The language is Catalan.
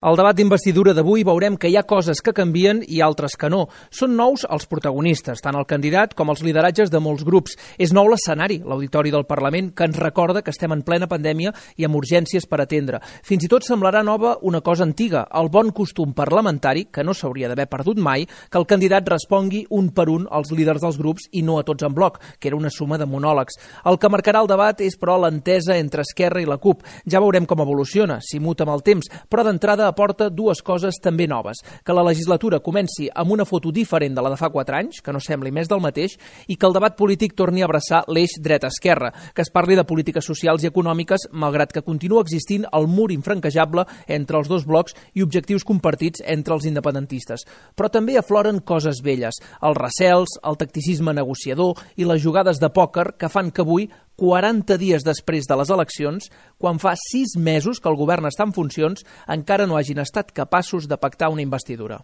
Al debat d'investidura d'avui veurem que hi ha coses que canvien i altres que no. Són nous els protagonistes, tant el candidat com els lideratges de molts grups. És nou l'escenari, l'auditori del Parlament, que ens recorda que estem en plena pandèmia i amb urgències per atendre. Fins i tot semblarà nova una cosa antiga, el bon costum parlamentari, que no s'hauria d'haver perdut mai, que el candidat respongui un per un als líders dels grups i no a tots en bloc, que era una suma de monòlegs. El que marcarà el debat és, però, l'entesa entre Esquerra i la CUP. Ja veurem com evoluciona, si muta amb el temps, però d'entrada aporta dues coses també noves. Que la legislatura comenci amb una foto diferent de la de fa 4 anys, que no sembli més del mateix, i que el debat polític torni a abraçar l'eix dreta-esquerra, que es parli de polítiques socials i econòmiques, malgrat que continua existint el mur infranquejable entre els dos blocs i objectius compartits entre els independentistes. Però també afloren coses velles, els recels, el tacticisme negociador i les jugades de pòquer que fan que avui, 40 dies després de les eleccions, quan fa 6 mesos que el govern està en funcions, encara no hagin estat capaços de pactar una investidura.